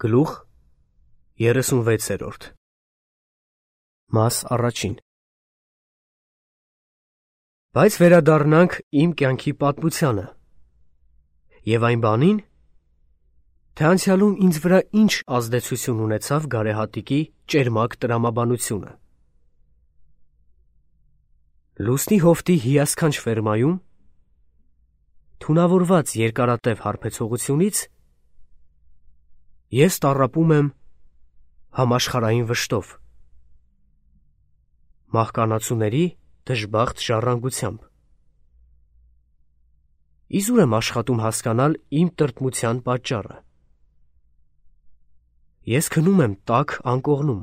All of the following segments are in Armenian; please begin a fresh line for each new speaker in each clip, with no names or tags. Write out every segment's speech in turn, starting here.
Գլուխ 36 Մաս առաջին Բայց վերադառնանք իմ կյանքի պատմությանը և այն բանին, թե անցյալում ինձ վրա ինչ ազդեցություն ունեցավ գարեհատիկի ճերմակ տրամաբանությունը։ Լուսնի հովտի հիասքանչ ֆերմայում, թունավորված երկարատև հարբեցողությունից, ես տառապում եմ համաշխարհային վշտով, մահկանացուների դժբախտ ժառանգությամբ։ Իզուր եմ աշխատում հասկանալ իմ տրտմության պատճառը։ Ես քնում եմ տաք անկողնում։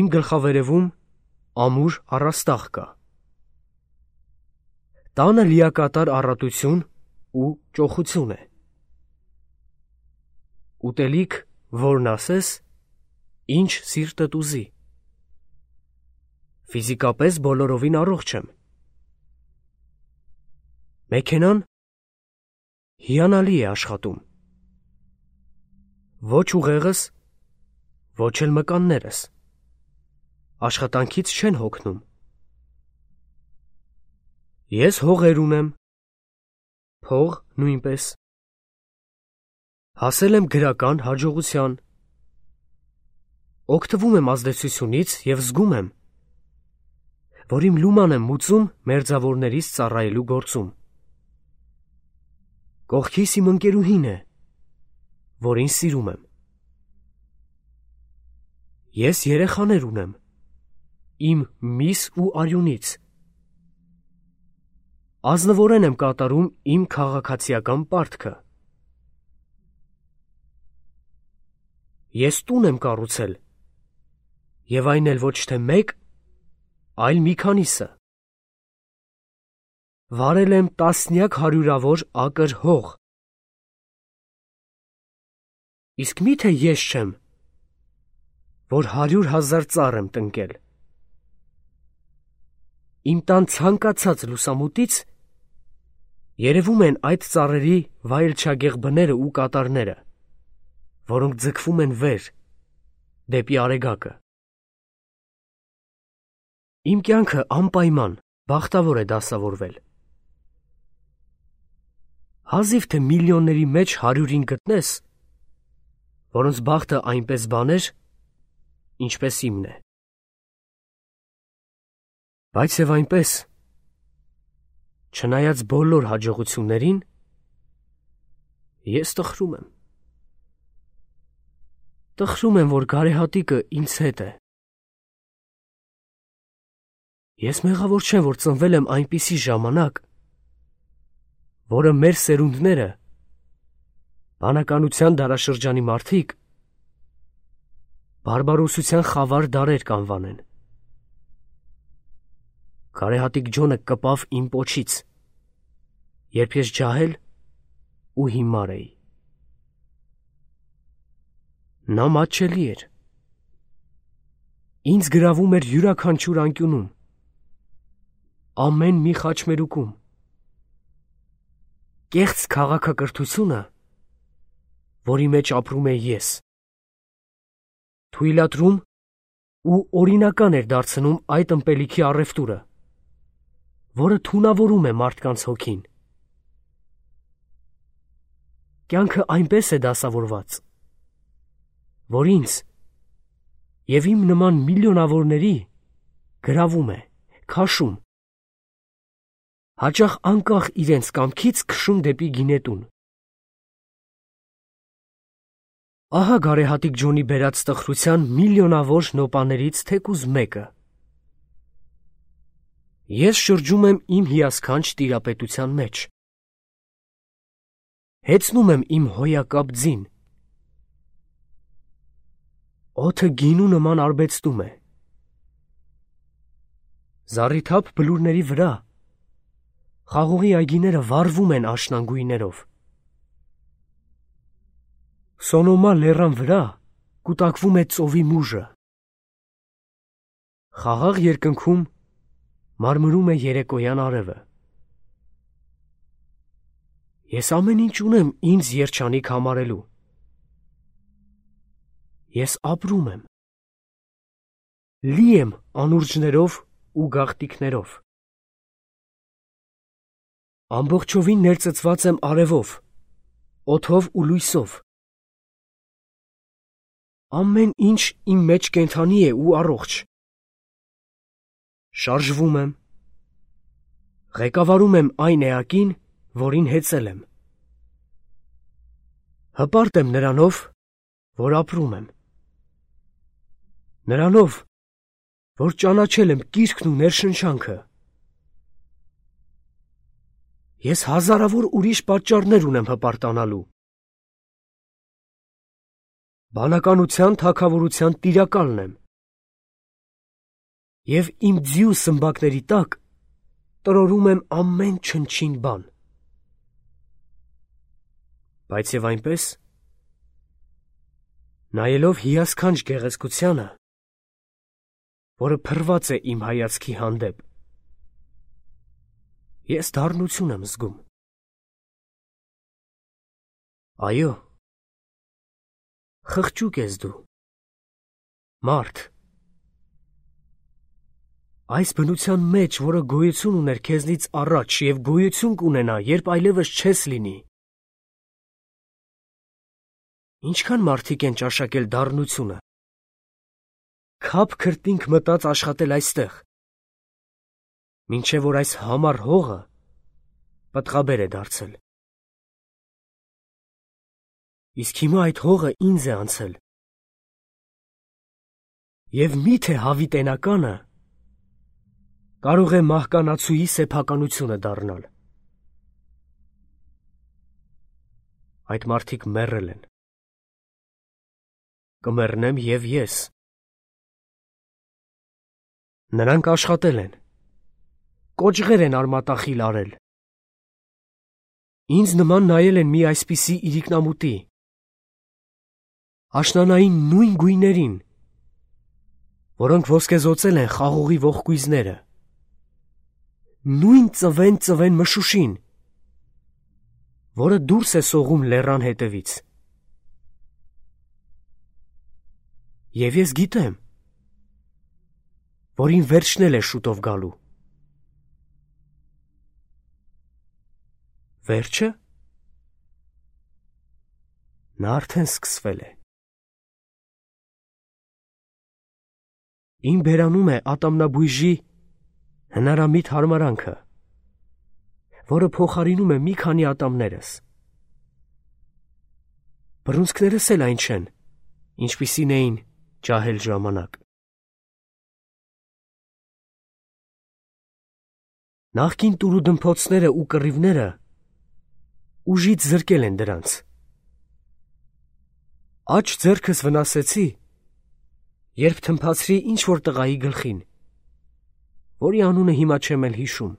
Իմ գլխավերևում ամուր առաստաղ կա։ Տանը լիակատար առատություն ու ճոխություն է։ Ուտելիք, որն ասես, ինչ սիրտդ ուզի։ Ֆիզիկապես բոլորովին առողջ եմ։ Մեքենան հիանալի է աշխատում։ Ոչ ուղեղս, ոչ էլ մկաններս աշխատանքից չեն հոգնում։ Ես հողեր ունեմ, փող նույնպես։ Հասել եմ գրական հաջողության։ Օգտվում եմ ազդեցությունից և զգում եմ, որ իմ լուման եմ մուծում մերձավորներիս ծառայելու գործում։ Կողքիս իմ ընկերուհին է, որին սիրում եմ։ Ես երեխաներ ունեմ, իմ միս ու արյունից։ Ազնվորեն եմ կատարում իմ քաղաքացիական պարտքը։ Ես տուն եմ կառուցել, և այն էլ ոչ թե մեկ, այլ մի քանիսը։ Վարել եմ տասնյակ հարյուրավոր ակր հող։ Իսկ մի՞թե ես չեմ, որ 100,000 ծառ եմ տնկել։ Իմ տան ցանկացած լուսամուտից երևում են այդ ծառերի վայելչագեղ բները ու կատարները, որոնք ձգվում են վեր, դեպի Արեգակը։ Իմ կյանքը անպայման բախտավոր է դասավորվել։ Հազիվ թե միլիոնների մեջ 100-ին գտնես, որոնց բախտը այնպես բաներ, ինչպես իմն է։ Բայց և այնպես, չնայած բոլոր հաջողություններին, ես տխրում եմ։ Տխրում եմ, որ գարեհատիկը ինձ հետ է։ Ես մեղավոր չեմ, որ ծնվել եմ այնպիսի ժամանակ, որը մեր սերունդները, բանականության դարաշրջանի մարդիկ, բարբարոսության խավար դարեր կանվանեն։ Գարեհատիկ Ջոնը կպավ իմ պոչից, երբ ես ջահել ու հիմար էի։ Նա մատչելի էր։ Ինձ գրավում էր յուրաքանչյուր անկյունում, ամեն մի խաչմերուկում։ Կեղծ քաղաքակրթությունը, որի մեջ ապրում էի ես, թույլատրում ու օրինական էր դարձնում այդ ըմպելիքի առևտուրը, որը թունավորում է մարդկանց հոգին։ Կյանքը այնպես է դասավորված, որ ինձ և իմ նման միլիոնավորների գրավում է, քաշում, հաճախ անկախ իրենց կամքից քշում դեպի գինետուն։ Ահա գարեհատիկ Ջոնի բերած տխրության միլիոնավոր նոպաներից թեկուզ մեկը։ Ես շրջում եմ իմ հիասքանչ տիրապետության մեջ։ Հեծնում եմ իմ հոյակապ ձին։ Օդը գինու նման արբեցնում է։ Զառիթափ բլուրների վրա խաղողի այգիները վառվում են աշնան գույներով։ Սոնոմա լեռան վրա կուտակվում է ծովի մուժը։ Խաղաղ երկնքում մարմրում է երեկոյան արևը։ Ես ամեն ինչ ունեմ ինձ երջանիկ համարելու, Ես ապրում եմ։ Լի եմ անուրջներով ու գաղտիկներով։ Ամբողջովին ներծծված եմ արևով, օդով ու լույսով։ Ամեն ինչ իմ մեջ կենդանի է ու առողջ։ Շարժվում եմ։ Ղեկավարում եմ այն էակին, որին հեծել եմ։ Հպարտ եմ նրանով, որ ապրում եմ։ Նրանով, որ ճանաչել եմ կիրքն ու ներշնչանքը։ Ես հազարավոր ուրիշ պատճառներ ունեմ հպարտանալու։ Բանականության թագավորության տիրակալն եմ։ Եվ իմ ձիու սմբակների տակ տրորում եմ ամեն չնչին բան։ Բայց և այնպես, նայելով հիասքանչ գեղեցկությանը, որը փռված է իմ հայացքի հանդեպ, ես դառնություն եմ զգում։ Այո, խղճուկ ես դու, մարդ, այս բնության մեջ, որը գոյություն ուներ քեզնից առաջ և գոյություն կունենա, երբ այլևս չես լինի։ Ինչքան մարդիկ են ճաշակել դառնությունը, քափ քրտինք մտած աշխատել այստեղ, մինչև որ այս համառ հողը պտղաբեր է դարձել։ Իսկ հիմա այդ հողը ինձ է անցել։ Եվ միթե հավիտենականը կարող է մահկանացուի սեփականությունը դառնալ։ Այդ մարդիկ մեռել են։ Կմեռնեմ և ես։ Նրանք աշխատել են, կոճղեր են արմատախիլ արել։ Ինձ նման նայել են մի այսպիսի իրիկնամուտի, աշնանային նույն գույներին, որոնք ոսկեզօծել են խաղողի ողկույզները, նույն ծվեն մշուշին, որը դուրս է սողում լեռան հետևից։ Եվ ես գիտեմ, որ իմ վերջն էլ է շուտով գալու։ Վերջը? Նա արդեն սկսվել է։ Իմ բերանում է ատամնաբույժի հնարամիտ հարմարանքը, որը փոխարինում է մի քանի ատամներս։ Բռունցքներս էլ այն չեն, ինչպիսին էին ջահել ժամանակ։ Նախկին տուրուդմփոցները ու կռիվները ուժից զրկել են դրանց։ Աջ ձեռքս վնասեցի, երբ թմփացրի ինչ-որ տղայի գլխին, որի անունը հիմա չեմ էլ հիշում։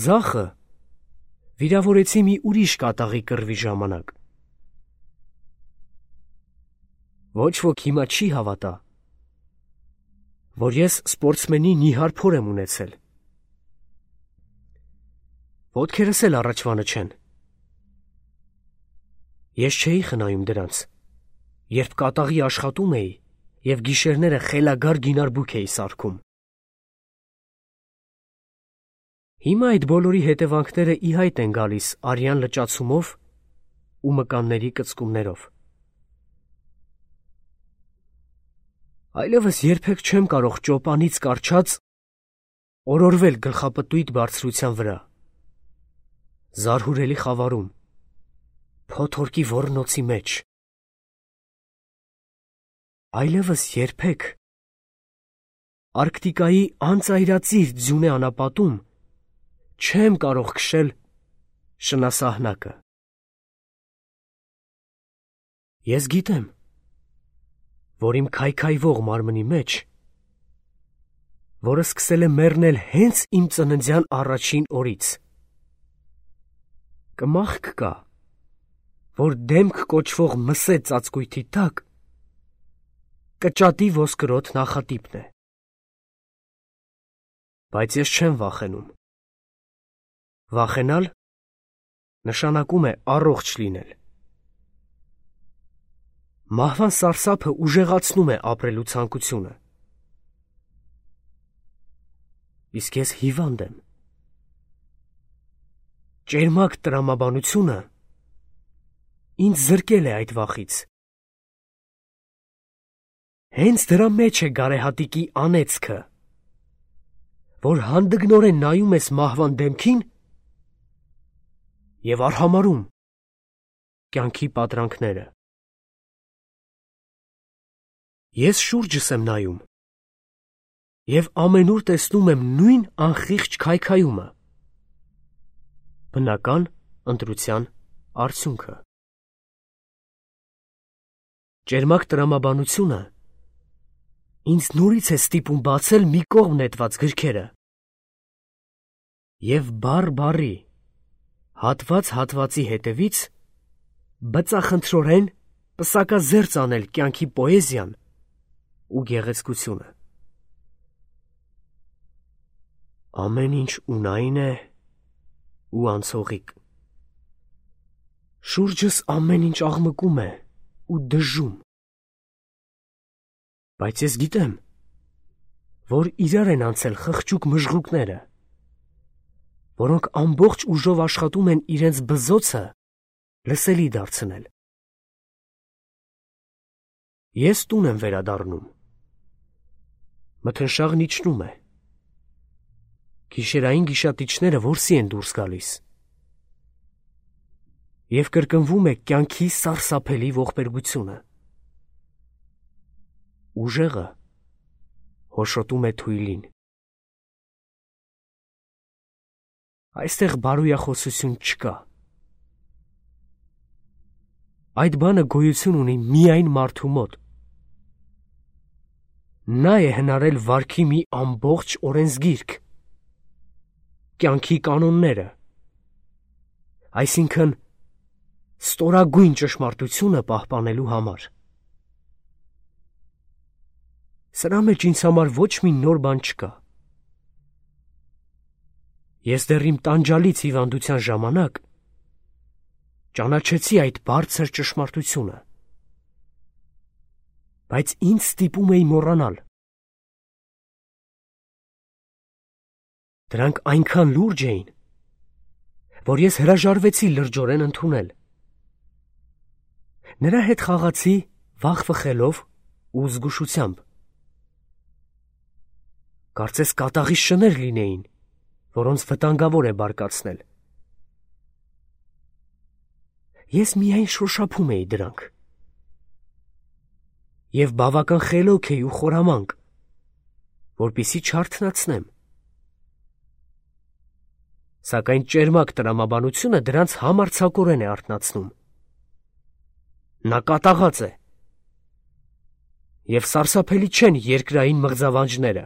Ձախը վիրավորեցի մի ուրիշ կատաղի կռվի ժամանակ։ Ոչ ոք հիմա չի հավատա, որ ես սպորտսմենի նիհար փոր եմ ունեցել։ Ոտքերս էլ առաջվանը չեն։ Ես չէի խնայում դրանց, երբ կատաղի աշխատում էի և գիշերները խելագար գինարբուք էի սարքում։ Հիմա այդ բոլորի հետևանքները ի հայտ են գալիս արյան լճացումով ու մկանների կծկումներով։ Այլևս երբեք չեմ կարող ճոպանից կառչած օրորվել գլխապտույտ բարձրության վրա, զարհուրելի խավարում, փոթորկի ոռնոցի մեջ։ Այլևս երբեք Արկտիկայի անծայրածիր ձյունե անապատում չեմ կարող քշել շնասահնակը։ Ես գիտեմ, որ իմ քայքայվող մարմնի մեջ, որը սկսել է մեռնել հենց իմ ծննդյան առաջին օրից, կմախք կա, որ դեմք կոչվող մսե ծածկույթի տակ կճատի ոսկրոտ նախատիպն է։ Բայց ես չեմ վախենում։ Վախենալ նշանակում է առողջ լինել։ Մահվան սարսափը ուժեղացնում է ապրելու ցանկությունը։ Իսկ ես հիվանդ եմ։ Ճերմակ տրամաբանությունը ինձ զրկել է այդ վախից։ Հենց դրա մեջ է գարեհատիկի անեծքը, որ հանդգնորեն նայում ես մահվան դեմքին և արհամարհում կյանքի պատրանքները։ Ես շուրջս եմ նայում և ամենուր տեսնում եմ նույն անխիղճ քայքայումը, բնական ընտրության արդյունքը։ Ճերմակ տրամաբանությունը ինձ նորից է ստիպում բացել մի կողմ նետված գրքերը և բառ-բառի, հատված-հատվածի հետևից բծախնդրորեն պսակազերծ անել կյանքի պոեզիան ու գեղեցկությունը։ Ամեն ինչ ունայն է ու անցողիկ։ Շուրջս ամեն ինչ աղմկում է ու դժում։ Բայց ես գիտեմ, որ իրար են անցել խղճուկ մժղուկները, որոնք ամբողջ ուժով աշխատում են իրենց բզոցը լսելի դարձնել։ Ես տուն եմ վերադառնում։ Մթնշաղն իջնում է։ Գիշերային գիշատիչները որսի են դուրս գալիս և կրկնվում է կյանքի սարսափելի ողբերգությունը։ Ուժեղը հոշոտում է թույլին։ Այստեղ բարոյախոսություն չկա։ Այդ բանը գոյություն ունի միայն մարդու մոտ։ Նա է հնարել վարքի մի ամբողջ օրենսգիրք, կյանքի կանոնները, այսինքն ստորագույն ճշմարտությունը պահպանելու համար։ Սրա մեջ ինձ համար ոչ մի նոր բան չկա։ Ես դեռ իմ տանջալից հիվանդության ժամանակ ճանաչեցի այդ բարձր ճշմարտությունը, բայց ինձ ստիպում էի մոռանալ։ Դրանք այնքան լուրջ էին, որ ես հրաժարվեցի լրջորեն ընդունել։ Նրա հետ խաղացի վախ-վխելով ու զգուշությամբ։ Կարծես կատաղի շներ լինեին, որոնց վտանգավոր է բարկացնել։ Ես միայն շոշափում էի դրանք և բավական խելոք էի ու խորամանկ, որպեսզի չարթնացնեմ։ Սակայն ճերմակ տրամաբանությունը դրանց համարձակորեն է արթնացնում։ Նա կատաղած է, և սարսափելի չեն երկրային մղձավանջները։